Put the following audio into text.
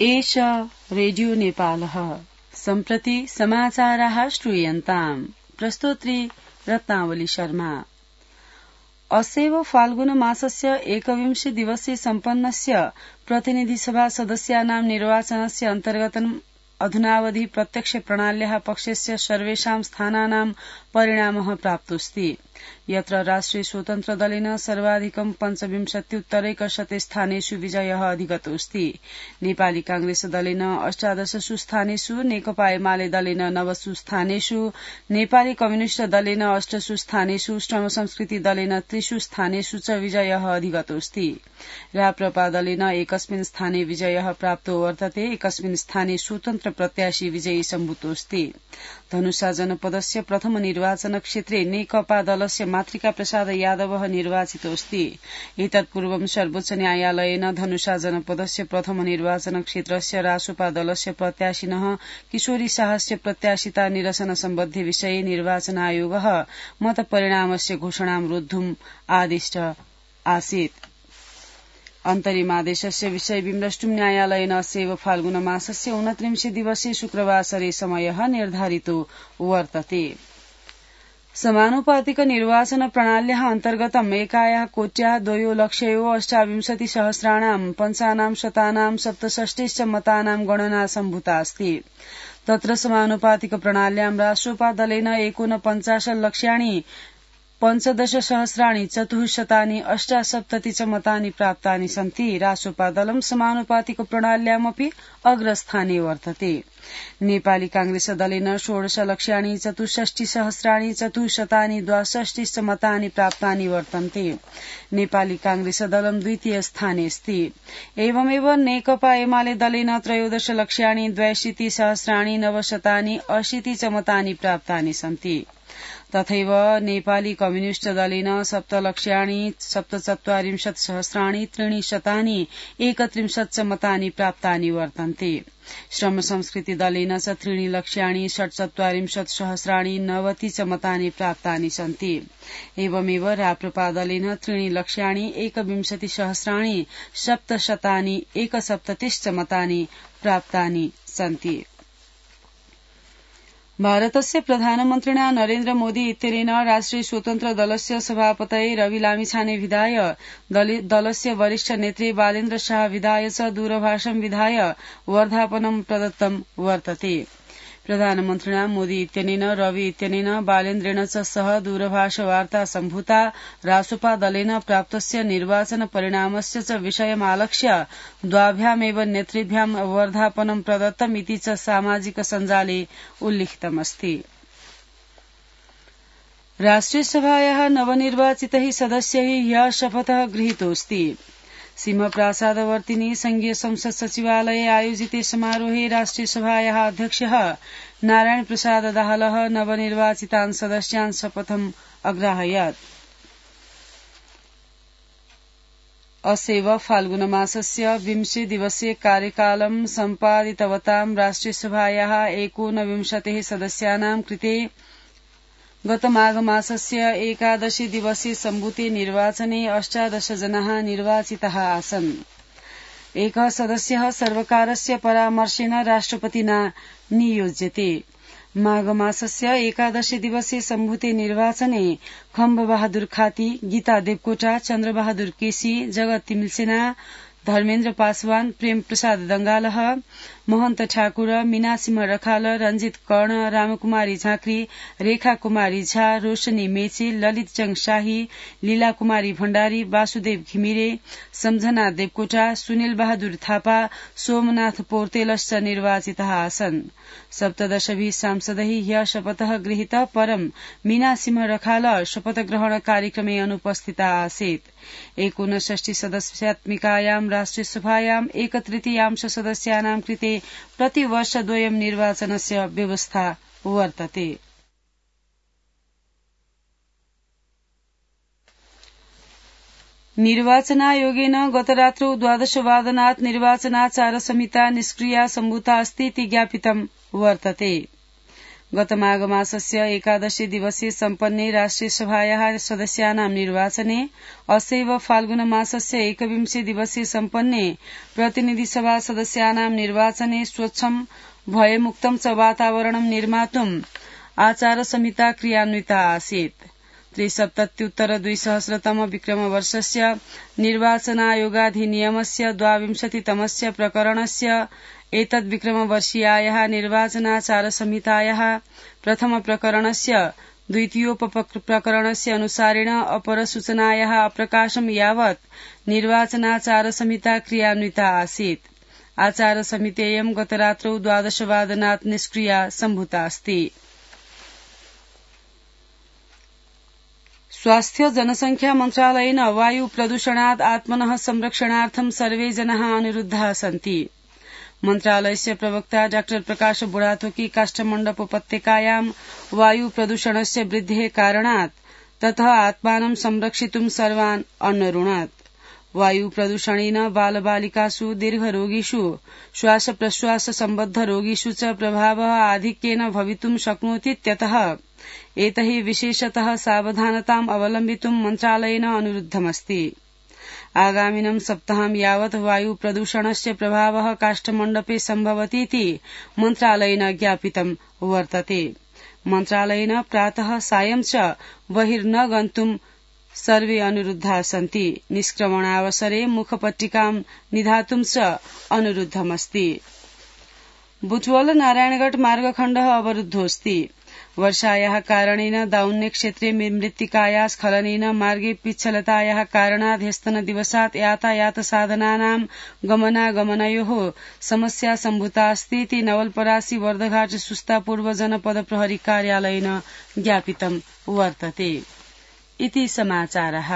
एष रेडियो नेपालः सम्प्रति समाचाराः श्रूयन्ताम्। प्रस्तोत्री रत्नावली शर्मा। अस्यैव फाल्गुन मासस्य 21 दिवसे सम्पन्नस्य प्रतिनिधिसभा सदस्यानां निर्वाचनस्य अन्तर्गतम् अधुनावधि प्रत्यक्ष प्रणाल्याः पक्षस्य सर्वेषां स्थानानां परिणामः प्राप्तोऽस्ति। यत्र राष्ट्रिय स्वतन्त्र दलेन सर्वाधिकं 25% स्थानेषु विजयः अधिगतोऽस्ति। नेपाली कांग्रेस दलेन 18 स्थानेषु, नेकपा एमाले दलेन 9 स्थानेषु, नेपाली कम्युनिष्ट दलेन 8 स्थानेषु, श्रम संस्कृति दलेन 3 स्थानेषु च विजयः अधिगतोऽस्ति। राप्रपा दलेन एकस्मिन् स्थाने विजयः प्राप्तो वर्तते, एकस्मिन् स्थाने स्वतन्त्र प्रत्याशी विजयी सम्भूतोऽस्ति। धनुषा जनपदस्य प्रथम निर्वाचन क्षेत्रे नेकपा दलस्य मातृका प्रसाद यादवः निर्वाचितोऽस्ति। एतत्पूर्वं सर्वोच्च न्यायालयेन धनुषा जनपदस्य प्रथम निर्वाचन क्षेत्रस्य रासोपा दलस्य प्रत्याशिनः किशोरी शाहस्य प्रत्याशिता निरसन सम्बद्धे विषये निर्वाचन आयोगः मतपरिणामस्य घोषणां रोद्धुम् आदिष्ट आसीत्। अन्तरिमादेशस्य विषय विमृष्टुम् न्यायालयेन अस्यैव फाल्गुन मासस्य 29 दिवसे शुक्रवासरे समयः निर्धारितो वर्तते। समानुपातिक निर्वाचन प्रणाल्याः अन्तर्गतम् एकायाः कोट्याः 2,28,सहस्राणां पञ्चानां शतानां 67 मतानां गणना सम्भूता अस्ति। तत्र समानुपातिक प्रणाल्यां राष्ट्रपा दलेन 49,00,000 15,478 च मतानि प्राप्तानि सन्ति। रासोपा दलं समानुपातिक प्रणाल्यामपि अग्रस्थाने वर्तते। नेपाली कांग्रेस दलेन 16,64,462 च मतानि प्राप्तानि वर्तन्ते। नेपाली कांग्रेस दलं द्वितीय स्थाने अस्ति। एवमेव नेकपा एमाले दलेन 13,82,980 च मतानि प्राप्तानि सन्ति। तथैव नेपाली कम्युनिष्ट दलेन 7,47,331 च मतानि प्राप्तानि वर्तन्ते। श्रम संस्कृति दलेन च 3,47,990 च मतानि प्राप्तानि सन्ति। एवमेव राप्रपा दलेन 3,21,771 च मतानि प्राप्तानि सन्ति। भारतस्य प्रधानमन्त्रिणा नरेन्द्र मोदी इत्यनेन राष्ट्रिय स्वतन्त्र दलस्य सभापतये रवि लामिछाने विधाय दलस्य वरिष्ठ नेत्री बालेन्द्र शाह विधाय च दूरभाषं विधाय वर्धापनं प्रदत्तं वर्तते। प्रधानमन्त्रिणा मोदी इत्यनेन रवि इत्यनेन बालेन्द्रेण च सह दूरभाषवार्ता सम्भूता। रासोपा दलेन प्राप्तस्य निर्वाचन परिणामस्य च विषयमालक्ष्य द्वाभ्यामेव नेतृभ्यां वर्धापनं प्रदत्तमिति च सामाजिक सञ्जाले उल्लिखितमस्ति। राष्ट्रियसभायाः नवनिर्वाचितैः सदस्यैः ह्यः शपथः गृहीतोऽस्ति। सिंहप्रासादवर्तिनि संघीय संसद सचिवालये आयोजिते समारोहे राष्ट्रियसभायाः अध्यक्षः नारायण प्रसाद दाहालः नवनिर्वाचितान् सदस्यान् शपथम् अग्राहयत्। अस्यैव फाल्गुन मासस्य 20 दिवसीय कार्यकालं सम्पादितवतां राष्ट्रियसभायाः 19 सदस्यानां कृते गत माघ मासस्य 11 दिवसीय सम्भूते निर्वाचने 18 जनाः निर्वाचिताः आसन्। एकः सदस्यः सर्वकारस्य परामर्शेन राष्ट्रपतिना नियोज्यते। माघ मासस्य 11 दिवसीय सम्भूते निर्वाचने खम्ब बहादुर खाती, गीता देवकोटा, चन्द्रबहादुर केसी, जगत तिमिलसेना, धर्मेन्द्र पासवान, प्रेम प्रसाद दंगालह, महन्त ठाकुर, मीनासिंह रखाल, रंजित कर्ण, रामकुमारी झाँक्री, रेखा कुमारी झा, रोशनी मेची, ललित जंग शाही, लीला कुमारी भण्डारी, वासुदेव घिमिरे, सम्झना देवकोटा, सुनिल बहादुर थापा, सोमनाथ पौर्तेलश्च निर्वाचिताः आसन्। 17 सांसदैः ह्यः शपथः गृहीतः परं मीनासिंह रखाल शपथग्रहण कार्यक्रमे अनुपस्थिता आसीत्। 59 सदस्यात्मिकायां राष्ट्रियसभायां 1/3 सदस्यानां कृते प्रतिवर्षद्वयं निर्वाचनस्य व्यवस्था वर्तते। निर्वाचनायोगेन गतरात्रौ 12 वादनात् निर्वाचनाचार संहिता निष्क्रिया सम्भूता अस्ति इति ज्ञापितं वर्तते। गतमाघमासस्य 11 दिवसे सम्पन्ने राष्ट्रियसभायाः सदस्यानां निर्वाचने असैव फाल्गुनमासस्य 21 दिवसे सम्पन्ने प्रतिनिधिसभा सदस्यानां निर्वाचने स्वच्छं भयमुक्तं च वातावरणं निर्मातुम् आचारसंहिता क्रियान्विता आसीत्। 73उत्तर-2000 विक्रमवर्षस्य निर्वाचनायोगाधिनियमस्य 22तमस्य प्रकरणस्य एतद्विक्रमवर्षीयायाः निर्वाचनाचारसंहितायाः प्रथमप्रकरणस्य द्वितीयोपप्रकरणस्य अनुसारेण अपरसूचनायाः अप्रकाशं यावत् निर्वाचनाचारसंहिता क्रियान्विता आसीत्। आचारसंहितेयं गतरात्रौ 12 वादनात् निष्क्रिया सम्भूता अस्ति। स्वास्थ्य जनसंख्या मन्त्रालयेन वायु प्रदूषणात् आत्मनः संरक्षणार्थं सर्वे जनाः अनुरुद्धाः सन्ति। मन्त्रालयस्य प्रवक्ता डॉ प्रकाश बुढाथोकी काष्ठमण्डप उपत्यकायां वायु प्रदूषणस्य वृद्धेः कारणात् ततः आत्मानं संरक्षितुं सर्वान् अन्वरुणत्। वायु प्रदूषणेन बालबालिकासु दीर्घरोगिषु श्वासप्रश्वास सम्बद्ध रोगिषु च प्रभावः आधिक्येन भवितुं शक्नोतीत्यतः एतैः विशेषतः सावधानताम् अवलम्बितुं मन्त्रालयेन अनुरुद्धमस्ति। आगामिनं सप्ताहं यावत् वायु प्रदूषणस्य प्रभावः काष्ठमण्डपे सम्भवतीति मन्त्रालयेन ज्ञापितं वर्तते। मन्त्रालयेन प्रातः सायं च बहिर्न गन्तुं सर्वे अनुरुद्धाः सन्ति। निष्क्रमणावसरे मुखपट्टिकां निधातुं च अनुरुद्धमस्ति। बुटवल नारायणगढ़ मार्गखण्डः अवरुद्धोऽस्ति। वर्षायाः कारणेन दाउन्ने क्षेत्रे मृत्तिकायाः स्खलनेन मार्गे पिच्छलतायाः कारणात् ह्यस्तनदिवसात् यातायातसाधनानां गमनागमनयोः समस्या सम्भूता अस्तीति नवलपरासी वर्धघाट सुस्ता पूर्व जनपद प्रहरी कार्यालयेन ज्ञापितं वर्तते। इति समाचारः।